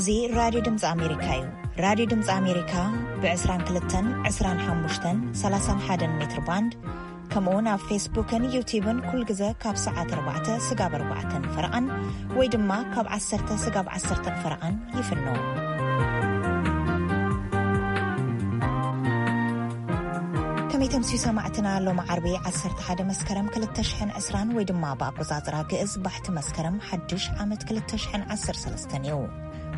እዚ ራድዮ ድምፂ ኣሜሪካ እዩ። ራድዮ ድምፂ ኣሜሪካ ብ22፣ 25፣ 31 ሜትር ባንድ፣ ከምኡ እውን ኣብ ፌስቡክን ዩቲዩብን ኩል ግዘ ካብ ሰዓት ኣርባዕተ ስጋብ ኣርባዕተን ፈረቓን ወይ ድማ ካብ ዓሰርተ ስጋብ ዓሰርተን ፈረቓን ይፍኖ። ከመይ ተምስዩ ሰማዕትና? ሎም ዓርቢ ዓሰርተ ሓደ መስከረም ክልተ ሽሕን ዕስራን ወይ ድማ ብኣቆጻጽራ ግእዝ ባሕቲ መስከረም ሓድሽ ዓመት ክልተ ሽሕን ዓሰርተ ሰለስተን እዩ።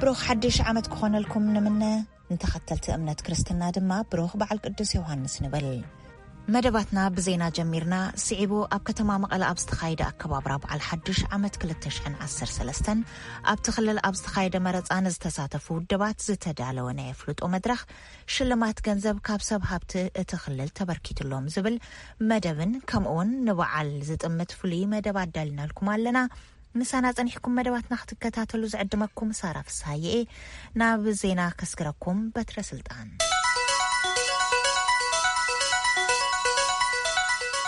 ብሩኽ ሓድሽ ዓመት ክኾነልኩም ንምነ። ንተኸተልቲ እምነት ክርስትና ድማ ብሩኽ በዓል ቅዱስ ዮሃንስ ንብል። መደባትና ብዜና ጀሚርና። ስዒቡ ኣብ ከተማ መቐለ ኣብ ዝተኻየደ ኣከባብራ በዓል ሓድሽ ዓመት ክልተ ሽሕን ዓሰርተ ሰለስተን ኣብቲ ክልል ኣብ ዝተኻየደ መረፃ ንዝተሳተፉ ውድባት ዝተዳለወ ናይ ኣፍልጦ መድረኽ ሽልማት ገንዘብ ካብ ሰብ ሃብቲ እቲ ክልል ተበርኪትሎም ዝብል መደብን ከምኡውን ንበዓል ዝጥምት ፍሉይ መደብ ኣዳልናልኩም ኣለና። ምሳና ጸኒሕኩም መደባትና ክትከታተሉ ዝዕድመኩም ሳራ ፍስሃየ እየ። ናብ ዜና ከስግረኩም በትረ ስልጣን።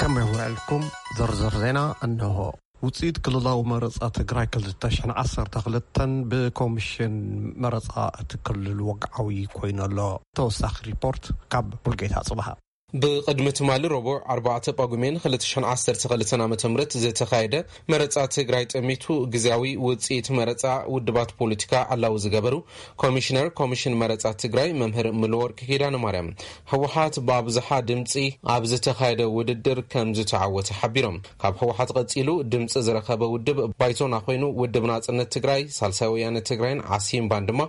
ከመይ ውዕልኩም? ዝርዝር ዜና እንሆ። ውፅኢት ክልላዊ መረፃ ትግራይ ክልተ ሽሕን ዓሰርተ ክልተን ብኮሚሽን መረፃ እቲ ክልል ወግዓዊ ኮይኑ ኣሎ። ተወሳኺ ሪፖርት ካብ ሙልጌታ ጽብሃ። ብቕድሚ ትማሊ ረቡዕ ኣርባዕተ ጳጉሜን ክልተ ሽሕን ዓሰርተ ክልተን ዓመተ ምህረት ዝተኻየደ መረፃ ትግራይ ጠሚቱ ግዝያዊ ውፅኢት መረፃ ውድባት ፖለቲካ ዕላዊ ዝገበሩ ኮሚሽነር ኮሚሽን መረፃ ትግራይ መምህር ምሉወርቅ ኪዳነ ማርያም፣ ህወሓት ብኣብዝሓ ድምፂ ኣብ ዝተኻየደ ውድድር ከም ዝተዓወተ ሓቢሮም። ካብ ህወሓት ቀፂሉ ድምፂ ዝረኸበ ውድብ ባይቶና ኮይኑ፣ ውድብ ናፅነት ትግራይ፣ ሳልሳይ ወያነ ትግራይን ዓሲምባን ድማ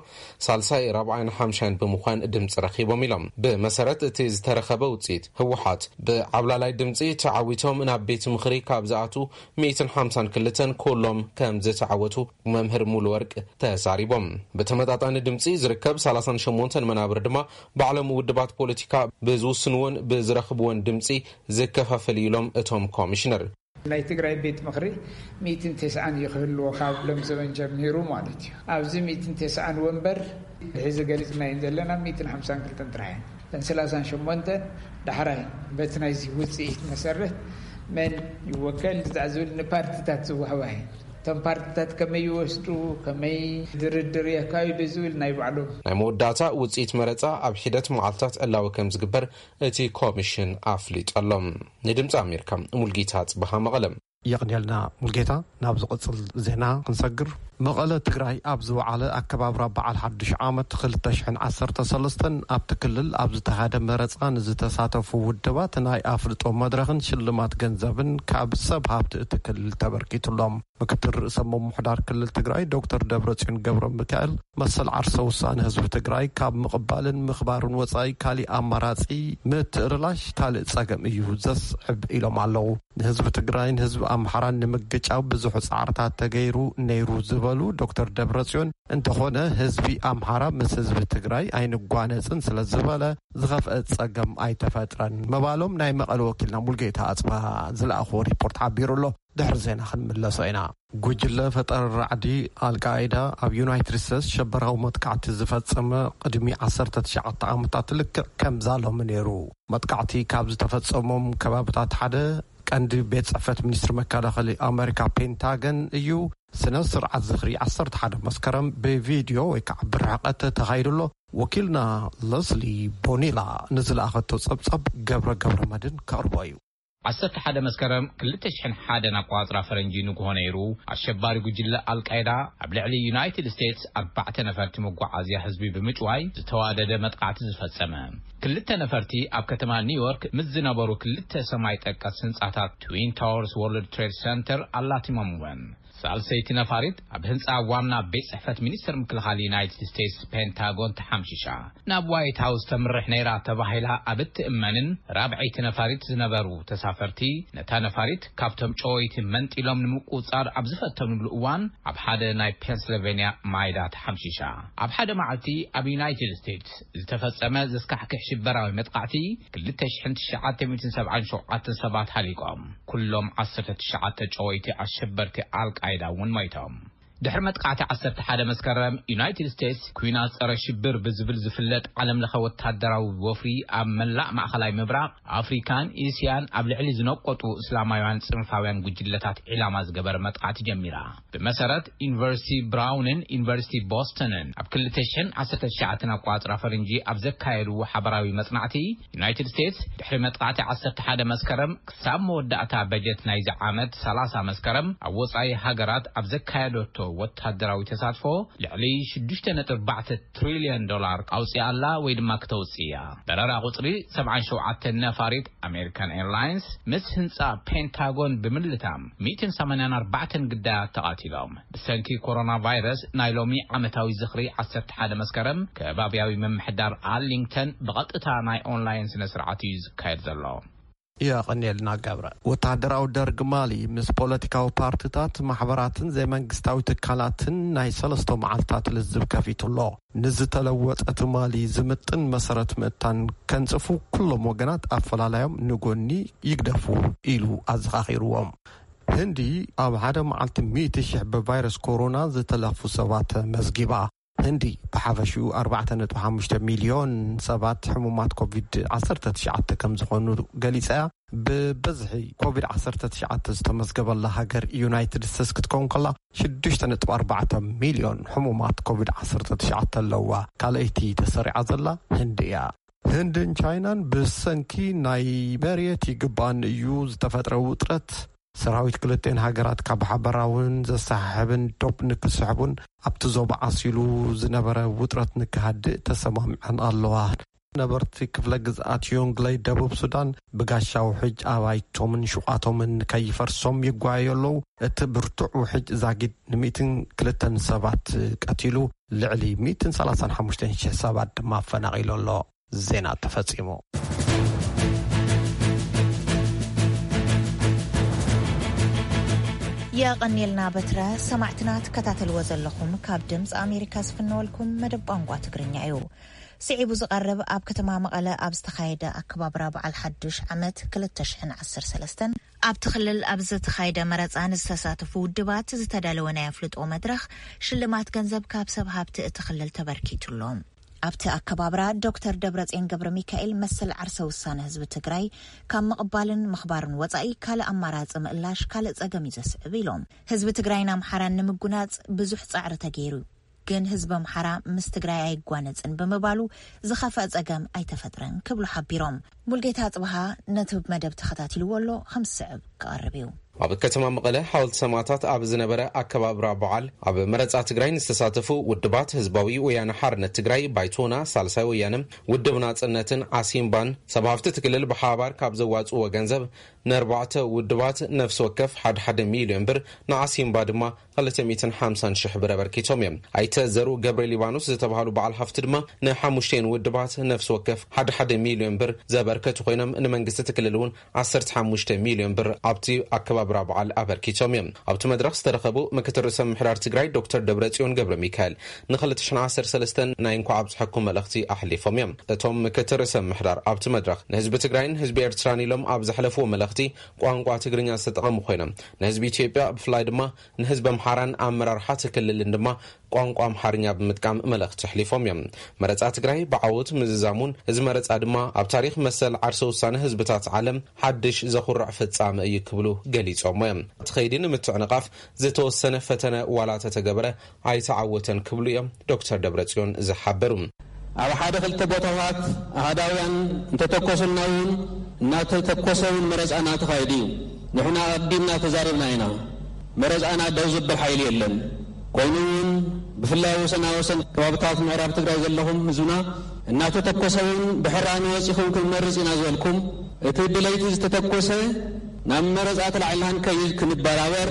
ሳልሳይ፣ ራብዓይን ሓምሻይን ብምዃን ድምፂ ረኺቦም ኢሎም። ብመሰረት እቲ ዝተረኸበ ውፅኢት፣ ህወሓት ብዓብላላይ ድምፂ ተዓዊቶም ናብ ቤት ምኽሪ ካብ ዝኣትዉ ሚእትን ሓምሳን ክልተን ኩሎም ከም ዝተዓወቱ መምህር ሙሉ ወርቅ ተዛሪቦም። ብተመጣጣኒ ድምፂ ዝርከብ ሰላሳን ሸሞንተን መናብር ድማ ባዕሎም ውድባት ፖለቲካ ብዝውስንዎን ብዝረኽብዎን ድምፂ ዝከፋፈል እዩ ኢሎም እቶም ኮሚሽነር። ናይ ትግራይ ቤት ምኽሪ ሚእትን ተስዓን እዩ ክህልዎ ካብ ሎም ዘበን ጀሚሩ ማለት እዩ። ኣብዚ ሚእትን ተስዓን ወንበር ብሕዚ ገሊፅናየን ዘለና ሚእትን ሓምሳን ክልተን ጥራሕ እየን። እተን ሰላሳን ሸሞንተን ዳሕራይ በቲ ናይዚ ውፅኢት መሰረት መን ይወከል ዝብል ንፓርቲታት ዝወሃባ እየን። እቶም ፓርቲታት ከመይ ይወስዱ፣ ከመይ ድርድር የካይዱ ዝብል ናይ ባዕሎም። ናይ መወዳእታ ውፅኢት መረፃ ኣብ ሒደት መዓልታት ዕላዊ ከም ዝግበር እቲ ኮሚሽን ኣፍሊጡ ኣሎ። ንድምፂ ኣሜሪካ ሙልጌታ ጽበሃ መቐለ። የቕንየልና ሙልጌታ። ናብ ዝቕጽል ዜና ክንሰግር፣ መቐለ ትግራይ ኣብ ዝወዓለ ኣከባብራ በዓል ሓድሽ ዓመት ክልተ ሽሕን ዓሰርተ ሰለስተን ኣብቲ ክልል ኣብ ዝተኻየደ መረፃ ንዝተሳተፉ ውድባት ናይ ኣፍልጦ መድረኽን ሽልማት ገንዘብን ካብ ሰብ ሃብቲ እቲ ክልል ተበርኪቱሎም። ምክትል ርእሰ ምምሕዳር ክልል ትግራይ ዶክተር ደብረጽዮን ገብረ ሚካኤል መሰል ዓርሰ ውሳነ ህዝቢ ትግራይ ካብ ምቕባልን ምኽባርን ወፃኢ ካሊእ ኣማራፂ ምትእርላሽ ካልእ ፀገም እዩ ዘስዕብ ኢሎም ኣለዉ። ንህዝቢ ትግራይን ህዝቢ ኣምሓራን ንምግጫው ብዙሕ ፃዕርታት ተገይሩ ነይሩ ዝበሉ ዶክተር ደብረጽዮን፣ እንተኾነ ህዝቢ ኣምሓራ ምስ ህዝቢ ትግራይ ኣይንጓነፅን ስለ ዝበለ ዝኸፍአ ፀገም ኣይተፈጥረን ምባሎም ናይ መቐለ ወኪልና ሙልጌታ ኣፅባ ዝለኣኽዎ ሪፖርት ሓቢሩ ኣሎ። ድሕሪ ዜና ክንምለሶ ኢና። ጉጅለ ፈጠራ ራዕዲ ኣልቃይዳ ኣብ ዩናይትድ ስቴትስ ሸበራዊ መጥቃዕቲ ዝፈጸመ ቅድሚ ዓሰርተ ትሽዓተ ዓመታት ልክዕ ከምዛ ሎሚ ነይሩ። መጥቃዕቲ ካብ ዝተፈጸሞም ከባብታት ሓደ ቀንዲ ቤት ጽሕፈት ሚኒስትሪ መከላኸሊ ኣመሪካ ፔንታገን እዩ። ስነ ስርዓት ዝኽሪ ዓሰርተ ሓደ መስከረም ብቪድዮ ወይ ከዓ ብርሕቀት ተኻይዱ ኣሎ። ወኪልና ለስሊ ቦኒላ ንዝለኣኸቶ ጸብጸብ ገብረ ገብረ መድን ከቕርቦ እዩ። ዓሰርተ ሓደ መስከረም ክልተ ሽሕን ሓደን ኣቋጽራ ፈረንጂ ንግሆ ነይሩ፣ ኣሸባሪ ጉጅለ ኣልቃይዳ ኣብ ልዕሊ ዩናይትድ ስቴትስ ኣርባዕተ ነፈርቲ መጓዓዝያ ህዝቢ ብምጭዋይ ዝተዋደደ መጥቃዕቲ ዝፈጸመ። ክልተ ነፈርቲ ኣብ ከተማ ኒውዮርክ ምስ ዝነበሩ ክልተ ሰማይ ጠቀስ ህንጻታት ትዊን ታወርስ ወርልድ ትሬድ ሰንተር ኣላቲሞም እወን። ሳልሰይቲ ነፋሪት ኣብ ህንጻ ዋና ቤት ጽሕፈት ሚኒስተር ምክልኻል ዩናይትድ ስቴትስ ፔንታጎን ተሓምሺሻ። ናብ ዋይት ሃውስ ተምርሕ ነይራ ተባሂላ ኣብ እትእመንን ራብዐይቲ ነፋሪት ዝነበሩ ተሳፈርቲ፣ ነታ ነፋሪት ካብቶም ጨወይቲ መንጢሎም ንምቁጻር ኣብ ዝፈተኑሉ እዋን ኣብ ሓደ ናይ ፔንስልቬንያ ማይዳ ተሓምሺሻ። ኣብ ሓደ መዓልቲ ኣብ ዩናይትድ ስቴትስ ዝተፈጸመ ዘስካሕክሕ ሽበራዊ መጥቃዕቲ ክልተ ሽሕን ትሽዓተ ሚእትን ሰብዓን ሸውዓተን ሰባት ሃሊቆም። ኩሎም ዓሰርተ ትሽዓተ ጨወይቲ ኣሸበርቲ ኣልቃይዳ እውን ሞይቶም። ድሕሪ መጥቃዕቲ ዓሰርተ ሓደ መስከረም፣ ዩናይትድ ስቴትስ ኲናት ጸረ ሽብር ብዝብል ዝፍለጥ ዓለም ለኸ ወታደራዊ ወፍሪ ኣብ መላእ ማእኸላይ ምብራቕ፣ ኣፍሪካን እስያን ኣብ ልዕሊ ዝነቆጡ እስላማውያን ጽንፋውያን ጉጅለታት ዒላማ ዝገበረ መጥቃዕቲ ጀሚራ። ብመሰረት ዩኒቨርሲቲ ብራውንን ዩኒቨርሲቲ ቦስተንን፣ ኣብ ክልተ ሽሕን ዓሰርተ ትሽዓተን ኣቋጽራ ፈረንጂ ኣብ ዘካየድዎ ሓበራዊ መጽናዕቲ፣ ዩናይትድ ስቴትስ ድሕሪ መጥቃዕቲ ዓሰርተ ሓደ መስከረም ክሳብ መወዳእታ በጀት ናይዚ ዓመት ሰላሳ መስከረም ኣብ ወጻኢ ሃገራት ኣብ ዘካየደቶ ወታደራዊ ተሳትፎ ልዕሊ ሽዱሽተ ነጥቢ ኣርባዕተ ትሪልዮን ዶላር ኣውጺኣ ኣላ ወይ ድማ ክተውጽእ እያ። በረራ ቁጽሪ ሰብዓን ሸውዓተን ነፋሪት ኣሜሪካን ኤርላይንስ ምስ ህንጻ ፔንታጎን ብምልታም ሚእትን ሰማንያን ኣርባዕተን ግዳያት ተቓቲሎም። ብሰንኪ ኮሮና ቫይረስ ናይ ሎሚ ዓመታዊ ዝኽሪ ዓሰርተ ሓደ መስከረም ከባብያዊ ምምሕዳር ኣርሊንግተን ብቐጥታ ናይ ኦንላይን ስነ ስርዓት እዩ ዝካየድ ዘሎ። የቐንየልና ገብረ። ወተሃደራዊ ደርግ ማሊ ምስ ፖለቲካዊ ፓርቲታት፣ ማሕበራትን ዘይመንግስታዊ ትካላትን ናይ ሰለስተ መዓልታት ልዝብ ከፊቱ ኣሎ። ንዝተለወጠ ትማሊ ዝምጥን መሰረት ምእታን ከንጽፉ፣ ኩሎም ወገናት ኣፈላላዮም ንጎኒ ይግደፉ ኢሉ ኣዘኻኺርዎም። ህንዲ ኣብ ሓደ መዓልቲ ሚእቲ ሽሕ ብቫይረስ ኮሮና ዝተለኽፉ ሰባት መዝጊባ። ህንዲ ብሓፈሽኡ ኣርባዕተ ነጥቢ ሓሙሽተ ሚልዮን ሰባት ሕሙማት ኮቪድ ዓሰርተ ትሽዓተ ከም ዝኾኑ ገሊጻ እያ። ብብዝሒ ኮቪድ ዓሰርተ ትሽዓተ ዝተመዝገበላ ሃገር ዩናይትድ ስቴትስ ክትከውን ከላ፣ ሽዱሽተ ነጥቢ ኣርባዕተ ሚልዮን ሕሙማት ኮቪድ ዓሰርተ ትሽዓተ ኣለዋ። ካልኣይቲ ተሰሪዓ ዘላ ህንዲ እያ። ህንድን ቻይናን ብሰንኪ ናይ መሬት ይግባን እዩ ዝተፈጥረ ውጥረት፣ ሰራዊት ክልቴን ሃገራት ካብ ሓበራውን ዘሰሓሕብን ዶብ ንክስሕቡን ኣብቲ ዞባ ዓሲሉ ዝነበረ ውጥረት ንክሃድእ ተሰማሚዐን ኣለዋ። ነበርቲ ክፍለ ግዝኣት ዮንግለይ ደቡብ ሱዳን ብጋሻ ውሕጅ ኣባይቶምን ሹቓቶምን ከይፈርሶም ይጓየዩ ኣለዉ። እቲ ብርቱዕ ውሕጅ ዛጊድ ንሚእትን ክልተን ሰባት ቀቲሉ፣ ልዕሊ ሚእትን ሰላሳን ሓሙሽተን ሽሕ ሰባት ድማ ኣፈናቒሉ ኣሎ። ዜና ተፈጺሙ። የቐንየልና በትረ። ሰማዕትና ትከታተልዎ ዘለኹም ካብ ድምፂ ኣሜሪካ ዝፍነወልኩም መደብ ቋንቋ ትግርኛ እዩ። ስዒቡ ዝቐርብ ኣብ ከተማ መቐለ ኣብ ዝተኻየደ ኣከባብራ በዓል ሓዱሽ ዓመት ክልተ ሽሕን ዓሰርተ ሰለስተን ኣብቲ ክልል ኣብ ዝተኻየደ መረፃ ንዝተሳተፉ ውድባት ዝተዳለወ ናይ ኣፍልጦ መድረኽ ሽልማት ገንዘብ ካብ ሰብ ሃብቲ እቲ ክልል ተበርኪቱሎም። ኣብቲ ኣከባብራ ዶክተር ደብረፅዮን ገብረ ሚካኤል መሰል ዓርሰ ውሳነ ህዝቢ ትግራይ ካብ ምቕባልን ምኽባርን ወፃኢ ካልእ ኣማራፂ ምእላሽ ካልእ ፀገም እዩ ዘስዕብ ኢሎም። ህዝቢ ትግራይን ኣምሓራን ንምጉናፅ ብዙሕ ፃዕሪ ተገይሩ፣ ግን ህዝቢ ኣምሓራ ምስ ትግራይ ኣይጓነፅን ብምባሉ ዝኸፍአ ፀገም ኣይተፈጥረን ክብሉ ሓቢሮም። ሙልጌታ ኣፅብሃ ነቲ መደብ ተኸታቲልዎ ኣሎ፣ ከም ዝስዕብ ክቐርብ እዩ። ኣብ ከተማ መቐለ ሓወልቲ ሰማእታት ኣብ ዝነበረ ኣከባብራ በዓል ኣብ መረፃ ትግራይ ንዝተሳተፉ ውድባት ህዝባዊ ወያነ ሓርነት ትግራይ፣ ባይቶና፣ ሳልሳይ ወያነ፣ ውድብ ናፅነትን ዓሲምባን ሰብ ሃፍቲ እቲ ክልል ብሓባር ካብ ዘዋፅዎ ገንዘብ ንኣርባዕተ ውድባት ነፍሲ ወከፍ ሓደ ሓደ ሚልዮን ብር፣ ንዓሲምባ ድማ ክልተ ሚእትን ሓምሳን ሽሕ ብር ኣበርኪቶም እዮም። ኣይተ ዘርኡ ገብረ ሊባኖስ ዝተባህሉ በዓል ሃፍቲ ድማ ንሓሙሽተን ውድባት ነፍሲ ወከፍ ሓደ ሓደ ሚልዮን ብር ዘበርከቱ ኮይኖም፣ ንመንግስቲ እቲ ክልል እውን ዓሰርተ ሓሙሽተ ሚልዮን ብር ኣብቲ ኣከባብራ በዓል ኣበርኪቶም እዮም። ኣብቲ መድረኽ ዝተረኸቡ ምክትል ርእሰ ምምሕዳር ትግራይ ዶክተር ደብረጽዮን ገብረ ሚካኤል ንክልተ ሽሕን ዓሰርተ ሰለስተን ናይ እንኳዕ ኣብፀሐኩም መልእኽቲ ኣሕሊፎም እዮም። እቶም ምክትል ርእሰ ምምሕዳር ኣብቲ መድረኽ ንህዝቢ ትግራይን ህዝቢ ኤርትራን ኢሎም ኣብ ዘሕለፍዎ መልእኽቲ ቋንቋ ትግርኛ ዝተጠቐሙ ኮይኖም፣ ንህዝቢ ኢትዮጵያ ብፍላይ ድማ ንህዝቢ ኣምሓራን ኣመራርሓ እቲ ክልልን ድማ ቋንቋ ኣምሓርኛ ብምጥቃም መልእኽቲ ኣሕሊፎም እዮም። መረፃ ትግራይ ብዓወት ምዝዛሙን እዚ መረፃ ድማ ኣብ ታሪኽ መሰል ዓርሰ ውሳነ ህዝብታት ዓለም ሓድሽ ዘኹርዕ ፍጻመ እዩ ክብሉ ገሊጾሞ እዮም። እቲ ኸይዲ ንምትዕንቓፍ ዝተወሰነ ፈተነ ዋላ ተተገበረ ኣይተዓወተን ክብሉ እዮም ዶክተር ደብረጽዮን ዝሓበሩ። ኣብ ሓደ ክልተ ቦታታት ኣሃዳውያን እንተተኮሱልና እውን እናተተኮሰ እውን መረፃና ተኻይዱ እዩ። ንሕና ኣቐዲምና ተዛሪብና ኢና። መረፃና ደው ዘብል ሓይሊ የለን። ኮይኑ እውን ብፍላይ ወሰና ወሰን ከባብታት ምዕራብ ትግራይ ዘለኹም ህዝብና እናተተኮሰ እውን ብሕራሚ ወፂኹም ክንመርፅ ኢና ዝበልኩም፣ እቲ ብለይቲ ዝተተኮሰ ናብ መረፃ ተላዒልና ክንከይድ ክንበራበር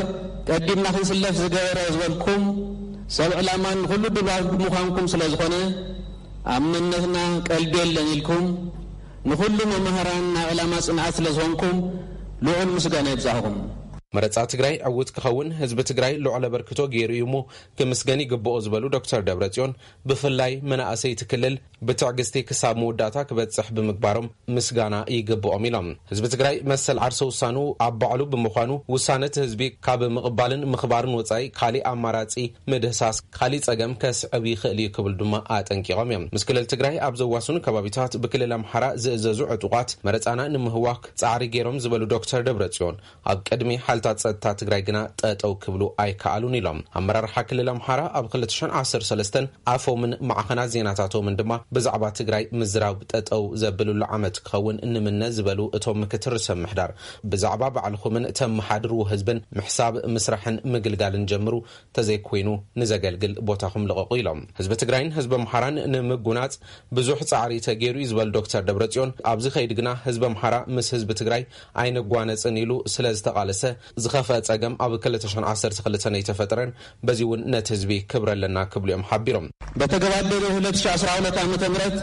ቀዲምና ክንስለፍ ዝገበረ ዝበልኩም ሰብ ዕላማ ንኹሉ ድባብ ብምዃንኩም ስለ ዝኾነ ኣብ መንነትና ቀልዲ የለን ኢልኩም ንኹሉ መማህራን ናይ ዕላማ ፅንዓት ስለ ዝኾንኩም ልዑል ምስጋና ይብፃኹም። መረፃ ትግራይ ዕውት ክኸውን ህዝቢ ትግራይ ልዑል ኣበርክቶ ገይሩ እዩ እሞ ክምስገን ይግብኦ ዝበሉ ዶክተር ደብረፅዮን፣ ብፍላይ መናእሰይቲ ክልል ብትዕግስቲ ክሳብ መወዳእታ ክበፅሕ ብምግባሮም ምስጋና ይግብኦም ኢሎም። ህዝቢ ትግራይ መሰል ዓርሰ ውሳኑ ኣብ ባዕሉ ብምዃኑ፣ ውሳነ እቲ ህዝቢ ካብ ምቕባልን ምኽባርን ወፃኢ ካሊእ ኣማራፂ ምድህሳስ ካሊእ ፀገም ከስዕብ ይኽእል እዩ ክብል ድማ ኣጠንቂቖም እዮም። ምስ ክልል ትግራይ ኣብ ዘዋስኑ ከባቢታት ብክልል ኣምሓራ ዝእዘዙ ዕጡቓት መረፃና ንምህዋክ ፃዕሪ ገይሮም ዝበሉ ዶክተር ደብረፅዮን፣ ኣብ ቅድሚ ሓይልታት ጸጥታ ትግራይ ግና ጠጠው ክብሉ ኣይከኣሉን ኢሎም። ኣመራርሓ ክልል ኣምሓራ ኣብ ክልተ ሽሕን ዓሰርተ ሰለስተን ኣፎምን ማዕኸናት ዜናታቶምን ድማ ብዛዕባ ትግራይ ምዝራብ ጠጠው ዘብልሉ ዓመት ክኸውን ንምነ ዝበሉ እቶም ምክትል ርእሰ ምሕዳር፣ ብዛዕባ ባዕልኹምን ተመሓድርዎ ህዝብን ምሕሳብ፣ ምስራሕን ምግልጋልን ጀምሩ፣ ተዘይኮይኑ ንዘገልግል ቦታኹም ልቐቑ ኢሎም። ህዝቢ ትግራይን ህዝቢ ኣምሓራን ንምጉናጽ ብዙሕ ጻዕሪ ተገይሩ እዩ ዝበሉ ዶክተር ደብረጽዮን፣ ኣብዚ ከይድ ግና ህዝቢ ኣምሓራ ምስ ህዝቢ ትግራይ ኣይንጓነጽን ኢሉ ስለ ዝተቓለሰ፣ ዝኸፍአ ጸገም ኣብ ክልተ ሽሕን ዓሰርተ ክልተን ኣይተፈጠረን፣ በዚ እውን ነቲ ህዝቢ ክብሪ ኣለና ክብሉ እዮም ሓቢሮም። በተገባደደው ሁለት ሺህ አስራ ሁለት ዓመተ ምህረት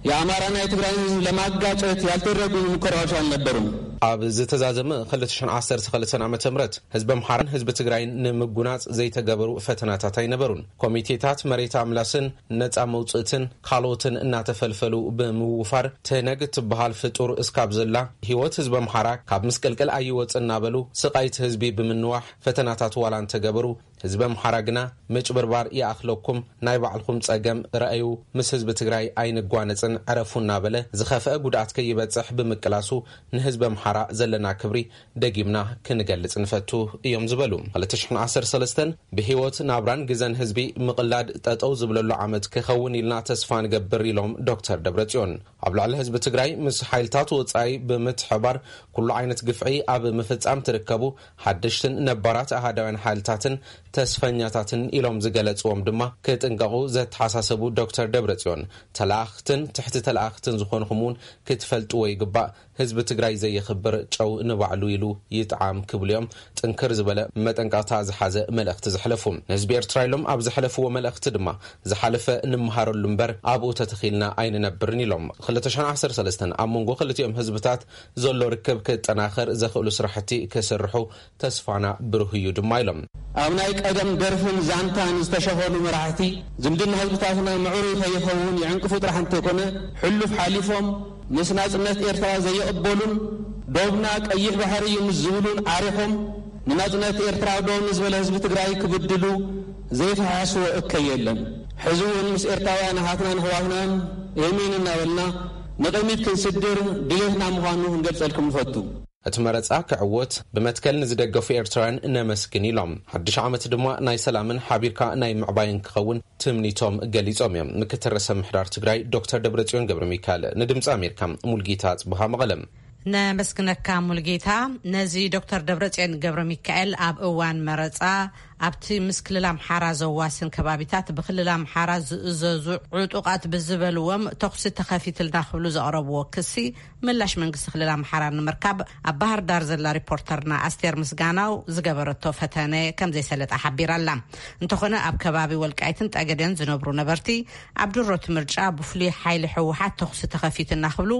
የአማራና የትግራይን ህዝብ ለማጋጨት ያልተደረጉ ሙከራዎች አልነበሩም። ኣብ ዝተዛዘመ ክልተ ሽሕን ዓሰርተ ክልተን ዓመተ ምህረት ህዝቢ ኣምሓራን ህዝቢ ትግራይን ንምጉናጽ ዘይተገበሩ ፈተናታት ኣይነበሩን። ኮሚቴታት መሬት ኣምላስን ነጻ መውጽእትን ካልኦትን እናተፈልፈሉ ብምውፋር፣ ትህነግ እትበሃል ፍጡር እስካብ ዘላ ህይወት ህዝቢ ኣምሓራ ካብ ምስቅልቅል ኣይወጽእ እናበሉ ስቓይ እቲ ህዝቢ ብምንዋሕ ፈተናታት ዋላ እንተገበሩ፣ ህዝቢ ኣምሓራ ግና ምጭብርባር ይኣኽለኩም፣ ናይ ባዕልኹም ጸገም ረኣዩ፣ ምስ ህዝቢ ትግራይ ኣይንጓነጽን ዕረፉ እናበለ ዝኸፍአ ጉድኣት ከይበጽሕ ብምቅላሱ ንህዝቢ ኣምሓራ ዘለና ክብሪ ደጊምና ክንገልጽ ንፈቱ እዮም ዝበሉ። ክልተ ሽሕን ዓሰርተ ሰለስተን ብህይወት ናብራን ግዘን ህዝቢ ምቕላድ ጠጠው ዝብለሉ ዓመት ክኸውን ኢልና ተስፋ ንገብር ኢሎም ዶክተር ደብረጽዮን። ኣብ ልዕሊ ህዝቢ ትግራይ ምስ ሓይልታት ወጻኢ ብምትሕባር ኩሉ ዓይነት ግፍዒ ኣብ ምፍጻም ትርከቡ ሓደሽትን ነባራት ኣሃዳውያን ሓይልታትን ተስፈኛታትን ኢሎም ዝገለጽዎም ድማ ክጥንቀቑ ዘተሓሳሰቡ ዶክተር ደብረጽዮን፣ ተላኣኽትን ትሕቲ ተላኣኽትን ዝኾንኹም እውን ክትፈልጥዎ ይግባእ። ህዝቢ ትግራይ ዘየኽብር ጨው ንባዕሉ ኢሉ ይጥዓም ክብሉ እዮም ጥንክር ዝበለ መጠንቀቕታ ዝሓዘ መልእኽቲ ዘሕለፉ። ንህዝቢ ኤርትራ ኢሎም ኣብ ዘሕለፍዎ መልእኽቲ ድማ፣ ዝሓለፈ ንምሃረሉ እምበር ኣብኡ ተተኺልና ኣይንነብርን ኢሎም። ክልተ ሽሕን ዓሰርተ ሰለስተን ኣብ መንጎ ክልቲኦም ህዝብታት ዘሎ ርክብ ክጠናኸር ዘኽእሉ ስራሕቲ ክስርሑ ተስፋና ብሩህ እዩ ድማ ኢሎም። ኣብ ናይ ቀደም ደርፍን ዛንታን ዝተሸፈኑ መራሕቲ ዝምድና ህዝብታትና ምዕሩይ ከይኸውን ይዕንቅፉ ጥራሕ እንተይኮነ፣ ሕሉፍ ሓሊፎም ምስ ናጽነት ኤርትራ ዘይቕበሉን ዶብና ቀይሕ ባሕሪ እዩ ምስ ዝብሉን ዓሪኾም ንናጽነት ኤርትራ ደው ንዝበለ ህዝቢ ትግራይ ክብድሉ ዘይፈሓስዎ እከይ የለን። ሕዚ እውን ምስ ኤርትራውያን ኣሓትናን ኣሕዋትናን ኤሚን እናበልና ንቕድሚት ክንስድር ድሌትና ምዃኑ ክንገልጸልኩም ንፈቱ። እቲ መረጻ ክዕወት ብመትከል ንዝደገፉ ኤርትራውያን ነመስግን ኢሎም። ሓድሽ ዓመት ድማ ናይ ሰላምን ሓቢርካ ናይ ምዕባይን ክኸውን ትምኒቶም ገሊጾም እዮም። ምክትል ርእሰ ምሕዳር ትግራይ ዶክተር ደብረጽዮን ገብረ ሚካኤል ንድምፂ ኣሜሪካ። ሙልጌታ ጽቡሃ መቐለ። ነመስግነካ ሙልጌታ። ነዚ ዶክተር ደብረጽዮን ገብረ ሚካኤል ኣብ እዋን መረጻ ኣብቲ ምስ ክልል ኣምሓራ ዘዋስን ከባቢታት ብክልል ኣምሓራ ዝእዘዙ ዕጡቓት ብዝበልዎም ተኹሲ ተኸፊትልና ክብሉ ዘቕረብዎ ክሲ ምላሽ መንግስቲ ክልል ኣምሓራ ንምርካብ ኣብ ባህር ዳር ዘላ ሪፖርተርና ኣስቴር ምስጋናው ዝገበረቶ ፈተነ ከም ዘይሰለጣ ሓቢራ ኣላ። እንተኾነ ኣብ ከባቢ ወልቃይትን ጠገዴን ዝነብሩ ነበርቲ ኣብ ድሮት ምርጫ ብፍሉይ ሓይሊ ህወሓት ተኹሲ ተኸፊትና ክብሉ